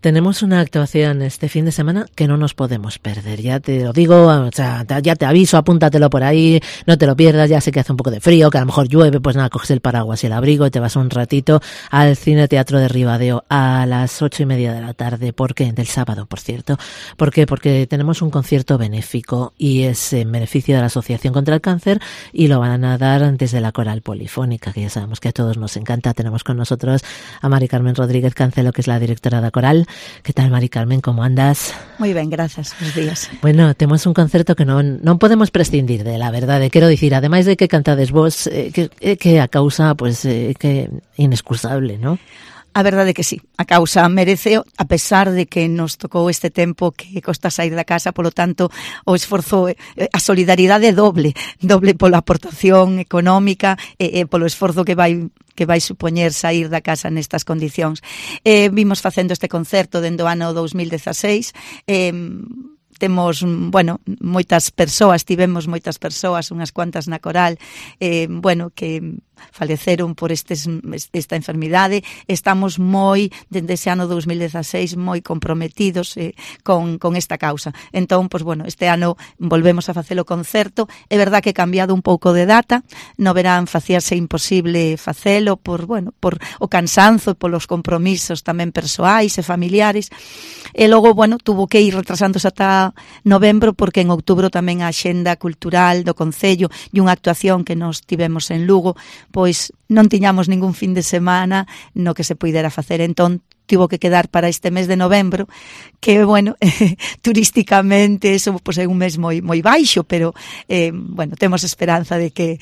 Tenemos una actuación este fin de semana que no nos podemos perder, ya te lo digo, o sea, ya te aviso, apúntatelo por ahí, no te lo pierdas, ya sé que hace un poco de frío, que a lo mejor llueve, pues nada, coges el paraguas y el abrigo y te vas un ratito al Cine Teatro de Ribadeo a las 8:30 de la tarde, ¿por qué? Del sábado, por cierto. ¿Por qué? Porque tenemos un concierto benéfico y es en beneficio de la Asociación contra el Cáncer y lo van a dar desde la Coral Polifónica, que ya sabemos que a todos nos encanta. Tenemos con nosotros a Mari Carmen Rodríguez Cancelo, que es la directora da Coral. Que tal, Mari Carmen, como andas? Moi ben, grazas, bons días. Bueno, temos un concerto que non podemos prescindir de, la verdade, quero dicir, ademais de que cantades vos, que a causa, pues, que inexcusable, ¿no? A verdade que sí, a causa merece, a pesar de que nos tocou este tempo que costa sair da casa, polo tanto, o esforzo, a solidaridade doble pola aportación económica e polo esforzo que vai supoñer sair da casa nestas condicións. Vimos facendo este concerto dende o ano 2016, temos, bueno, tivemos moitas persoas, unhas cuantas na Coral, bueno, que faleceron por esta enfermidade. Estamos dende ese ano 2016, moi comprometidos con esta causa. Entón, pues bueno, este ano volvemos a facelo concerto. É verdad que cambiado un pouco de data, no verán facíase imposible facelo por o cansanzo e polos compromisos tamén persoais e familiares. E logo, bueno, tuvo que ir retrasándose ata novembro, porque en outubro tamén a axenda cultural do Concello e unha actuación que nos tivemos en Lugo, pois non tiñamos ningún fin de semana no que se puidera facer. Entón, tivo que quedar para este mes de novembro, que, bueno, turísticamente eso pois é un mes moi baixo, pero, bueno, temos esperanza de que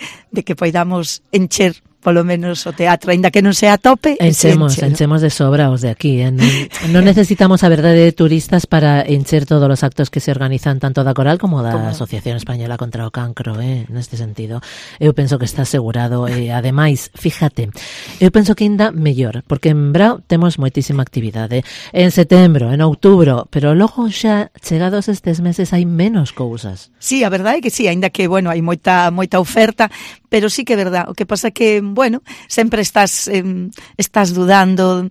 poidamos encher polo menos o teatro, aínda que non sea a tope. Enchemos de sobra os de aquí, non necesitamos a verdade de turistas para encher todos os actos que se organizan tanto da Coral como da Asociación Española contra o Cancro, neste sentido. Eu penso que está asegurado, e ademais, fíjate, eu penso que ainda mellor, porque en Brao temos moitísima actividade, en setembro, en outubro, pero logo xa chegados estes meses hai menos cousas. Sí, a verdade é que sí, aínda que, bueno, hai moita oferta, pero sí que é verdade. O que pasa que, bueno, sempre estás dudando.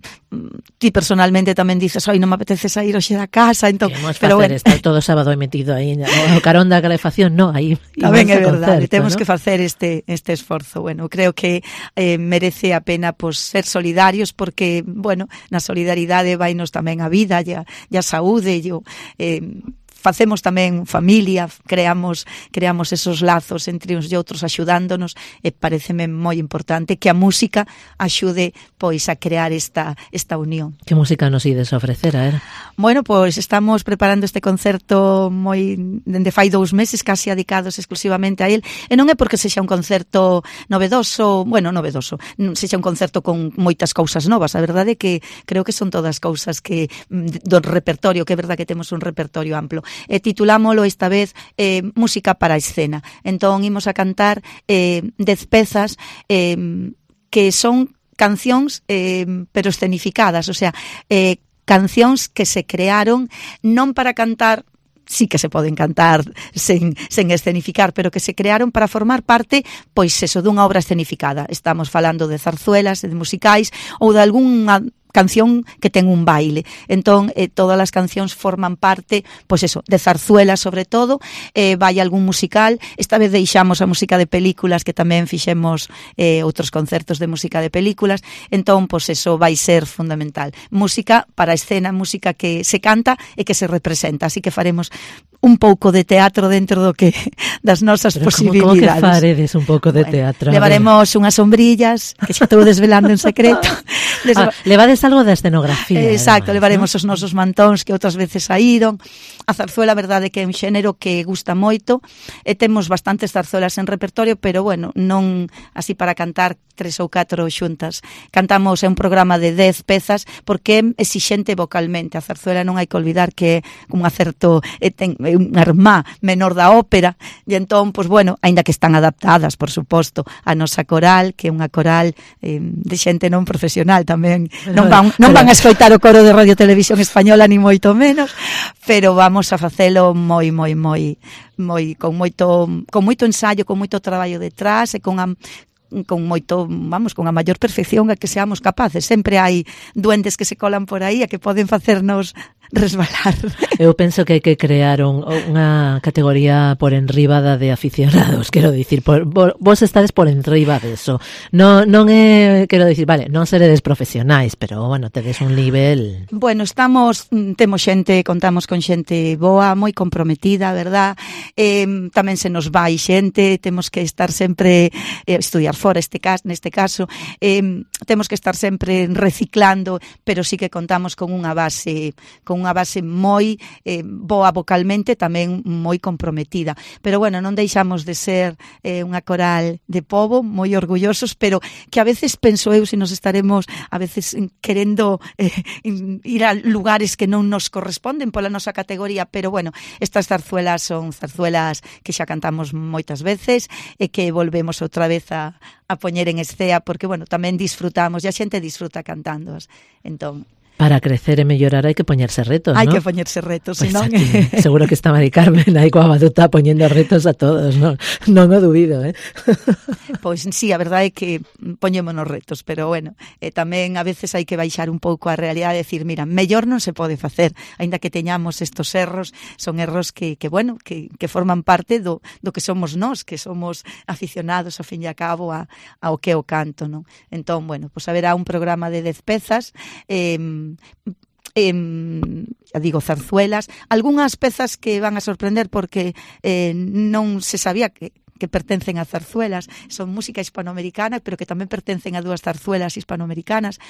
Ti personalmente tamén dices, non me apetece sair hoxe da casa, entón, pero bueno, estar todo sábado metido aí o carón da calefacción, aí tamén é verdade, temos que facer este esforzo. Bueno, creo que merece a pena ser solidarios, porque, bueno, na solidaridade vainos tamén a vida e a saúde, facemos tamén familia, creamos esos lazos entre uns e outros axudándonos, e pareceme moi importante que a música axude pois a crear esta unión. Que música nos ides ofrecer, a ver? Bueno, pois estamos preparando este concerto dende fai 2 meses, casi dedicados exclusivamente a él, e non é porque sexa un concerto novedoso, sexa un concerto con moitas cousas novas, a verdade é que creo que son todas cousas que do repertorio, que é verdade que temos un repertorio amplo. Titulámolo esta vez Música para a escena. Entón, imos a cantar 10 pezas que son cancións pero escenificadas, o sea, cancións que se crearon non para cantar, sí que se poden cantar sen escenificar, pero que se crearon para formar parte, pois eso, dunha obra escenificada. Estamos falando de zarzuelas, de musicais ou de algunha canción que ten un baile. Entón, todas as cancións forman parte, pois eso, de zarzuelas sobre todo, vai algún musical. Esta vez deixamos a música de películas, que tamén fixemos outros concertos de música de películas. Entón, pois eso vai ser fundamental. Música para a escena, música que se canta e que se representa. Así que faremos un pouco de teatro dentro das nosas posibilidades. Como que faredes un pouco de teatro? Levaremos unhas sombrillas, que xa estou desvelando en secreto. Levades algo da escenografía. Exacto, además, levaremos os nosos mantóns que outras veces saíron. A zarzuela, a verdade, que é un xénero que gusta moito, e temos bastantes zarzuelas en repertorio, pero, bueno, non así para cantar 3 ou 4 xuntas. Cantamos un programa de 10 pezas, porque é exixente vocalmente. A zarzuela non hai que olvidar que é un acerto, ten unha irmá menor da ópera, e entón, pois, bueno, aínda que están adaptadas, por suposto, a nosa coral, que é unha coral de xente non profesional tamén. Non van a escoitar o coro de Radio Televisión Española, ni moito menos, pero vamos a facelo moi con moito ensaio, con moito traballo detrás, e con con moito, vamos, con a maior perfección a que seamos capaces. Sempre hai duendes que se colan por aí e que poden facernos resbalar. Eu penso que hai que crear unha categoría por enribada de aficionados, quero dicir, vos estades por enriba deso. Non é, quero dicir, vale, non seredes profesionais, pero, bueno, tedes un nivel... Bueno, temos xente, contamos con xente boa, moi comprometida, verdad? Tamén se nos vai xente, temos que estar sempre, estudiar fora neste caso, temos que estar sempre reciclando, pero sí que contamos con unha base moi boa vocalmente, tamén moi comprometida. Pero bueno, non deixamos de ser unha coral de pobo, moi orgullosos, pero que a veces penso eu se nos estaremos a veces querendo ir a lugares que non nos corresponden pola nosa categoría, pero bueno, estas zarzuelas son zarzuelas que xa cantamos moitas veces e que volvemos outra vez a poñer en escea, porque bueno, tamén disfrutamos, e a xente disfruta cantándoas. Entón, para crecer e mellorar hai que poñerse retos, hai, ¿no? Hai que poñerse retos, pues senón... Seguro que está Mari Carmen aí coa batuta poñendo retos a todos, non o dubido, Pois sí, a verdade é que poñémonos retos, pero bueno, tamén a veces hai que baixar un pouco a realidade e decir, mira, mellor non se pode facer, aínda que teñamos estos erros, son erros que bueno, que forman parte do que somos nós, que somos aficionados, ao fin e a cabo, ao que é o canto, non? Entón, bueno, pois haberá un programa de 10 pezas, digo, zarzuelas, algunhas pezas que van a sorprender porque non se sabía que pertencen a zarzuelas, son música hispanoamericana, pero que tamén pertencen a dúas zarzuelas hispanoamericanas.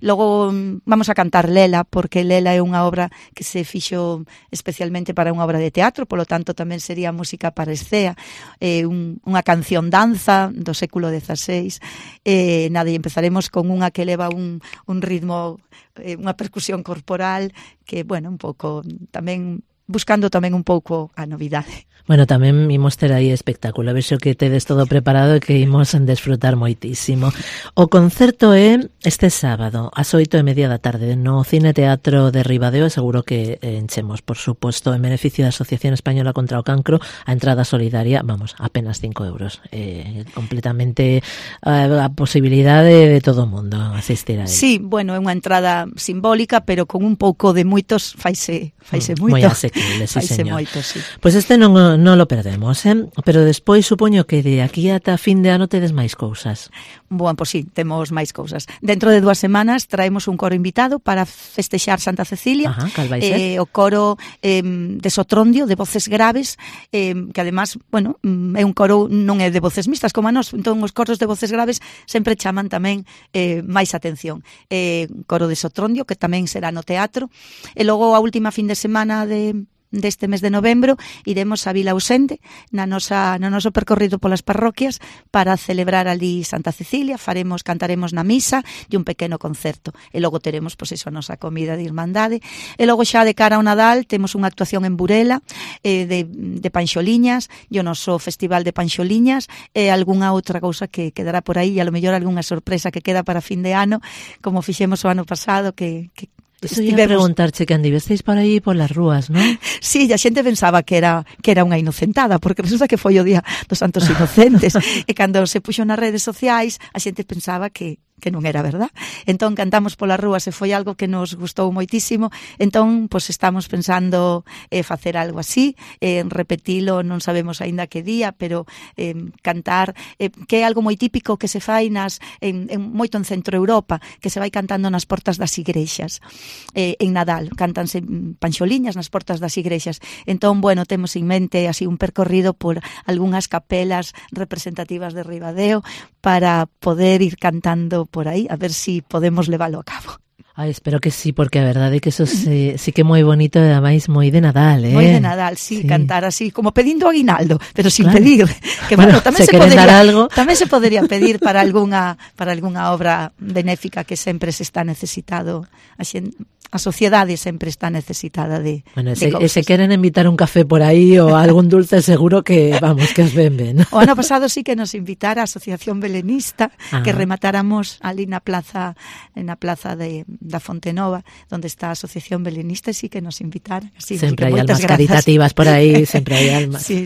Logo vamos a cantar Lela, porque Lela é unha obra que se fixo especialmente para unha obra de teatro, polo tanto tamén sería música para escea, unha canción danza do século XVI. Nada, e empezaremos con unha que leva un ritmo, unha percusión corporal, que, bueno, un pouco tamén buscando tamén un pouco a novidade. Bueno, tamén imos ter aí espectáculo, vexo que tedes todo preparado e que imos desfrutar moitísimo. O concerto é este sábado, ás 8:30 da tarde, no Cine Teatro de Ribadeo, seguro que enchemos, por suposto, en beneficio da Asociación Española contra o Cancro, a entrada solidaria, vamos, apenas 5 euros. Completamente a posibilidade de todo o mundo asistir a él. Sí, bueno, é unha entrada simbólica, pero con un pouco de moitos faise moito. Moi asequible, sí, señor. Moito, sí. Pois este non lo perdemos, pero despois supoño que de aquí ata fin de ano tedes máis cousas. Bueno, pois sí, temos máis cousas. Dentro de 2 semanas traemos un coro invitado para festexar Santa Cecilia. Ajá, cal vai ser? O coro de Sotrondio, de voces graves, que además, bueno, é un coro, non é de voces mixtas como a nós, entón os coros de voces graves sempre chaman tamén máis atención. Coro de Sotrondio, que tamén será no teatro, e logo a última fin de semana deste mes de novembro iremos a Vila Ausente no noso percorrido polas parroquias para celebrar ali Santa Cecilia, cantaremos na misa e un pequeno concerto, e logo teremos pois iso, a nosa comida de irmandade, e logo xa de cara ao Nadal temos unha actuación en Burela de panxoliñas e o noso festival de panxoliñas e algunha outra cousa que quedará por aí, e a lo mellor algunha sorpresa que queda para fin de ano, como fixemos o ano pasado, que Eso ia preguntarche que andivesteis por aí polas rúas, non? Sí, a xente pensaba que era unha inocentada, porque resulta que foi o Día dos Santos Inocentes, e cando se puxo nas redes sociais, a xente pensaba que non era verdad. Entón cantamos polas rúas e foi algo que nos gustou moitísimo. Entón, pois estamos pensando facer algo así, repetilo, non sabemos aínda que día, pero cantar, que é algo moi típico que se fai moito en Centro Europa, que se vai cantando nas portas das igrexas. En Nadal cántanse panxoliñas nas portas das igrexas. Entón, bueno, temos en mente así un percorrido por algunhas capelas representativas de Ribadeo para poder ir cantando por aí, a ver si podemos leválo a cabo. Ai, espero que sí, porque a verdade é que eso sí que é moi bonito e ademais moi de Nadal, Moi de Nadal, sí, cantar así, como pedindo aguinaldo, pero sin pedir. Que bueno, tamén se podería pedir para algunha obra benéfica que sempre se está necesitado. A sociedade sempre está necesitada de e se queren invitar un café por aí ou algún dulce, seguro que, vamos, que os ben. O ano pasado sí que nos invitara a Asociación Belenista, que rematáramos ali na plaza da Fonte Nova, onde está a Asociación Belenista, e sí que nos invitaran. Sempre hai almas caritativas por aí, sempre hai almas. Sí.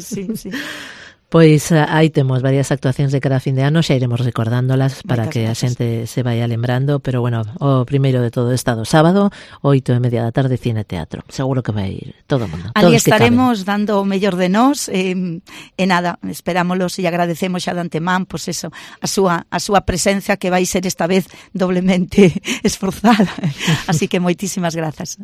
Pois aí temos varias actuacións de cada fin de ano, xa iremos recordándolas para que a xente se vaya lembrando, pero bueno, o primeiro de todo está do sábado, 8:30 da tarde, Cine Teatro. Seguro que vai ir todo o mundo. Ali estaremos dando o mellor de nós, e nada, esperámoslos e agradecemos xa de antemán, pois eso, a súa presencia, que vai ser esta vez doblemente esforzada. Así que moitísimas grazas.